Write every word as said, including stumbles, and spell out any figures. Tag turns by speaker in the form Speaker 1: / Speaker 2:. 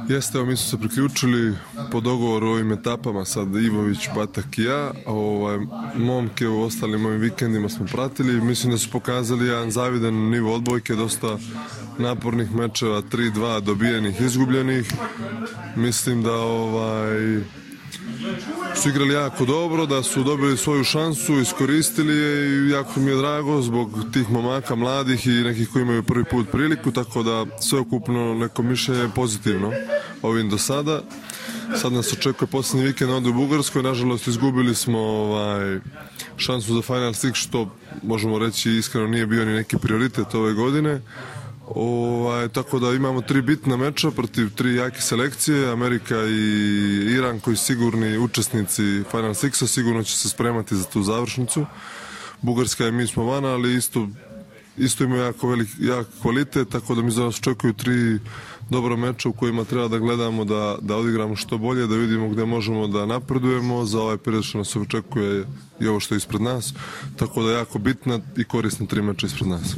Speaker 1: Jeste, evo mi smo se priključili po dogovoru o ovim etapama, sad Ivović, Batak i ja, ovaj, momke u ostalim mojim vikendima smo pratili, mislim da su pokazali jedan zavidan nivo odbojke, dosta napornih mečeva, tri dva dobijenih, izgubljenih, mislim da ovaj, su igrali jako dobro, da su dobili svoju šansu, iskoristili je i jako mi je drago zbog tih momaka mladih i nekih koji imaju prvi put priliku, tako da sveukupno neko mišljenje je pozitivno ovim do sada. Sad nas očekuje posljednji vikend ovdje u Bugarskoj, nažalost izgubili smo ovaj, šansu za Final Six, što možemo reći iskreno nije bio ni neki prioritet ove godine. Ovaj, tako da imamo tri bitna meča protiv tri jake selekcije, Amerika i Iran koji sigurni učesnici Final Sixa, sigurno će se spremati za tu završnicu. Bugarska i mi smo van, ali isto, isto imaju jako velik, jak kvalitet, tako da mi za nas očekuju tri dobro meča u kojima treba da gledamo da, da odigramo što bolje, da vidimo gde možemo da napredujemo za ovaj period što nas očekuje i ovo što je ispred nas, tako da jako bitna i korisna tri meča ispred nas.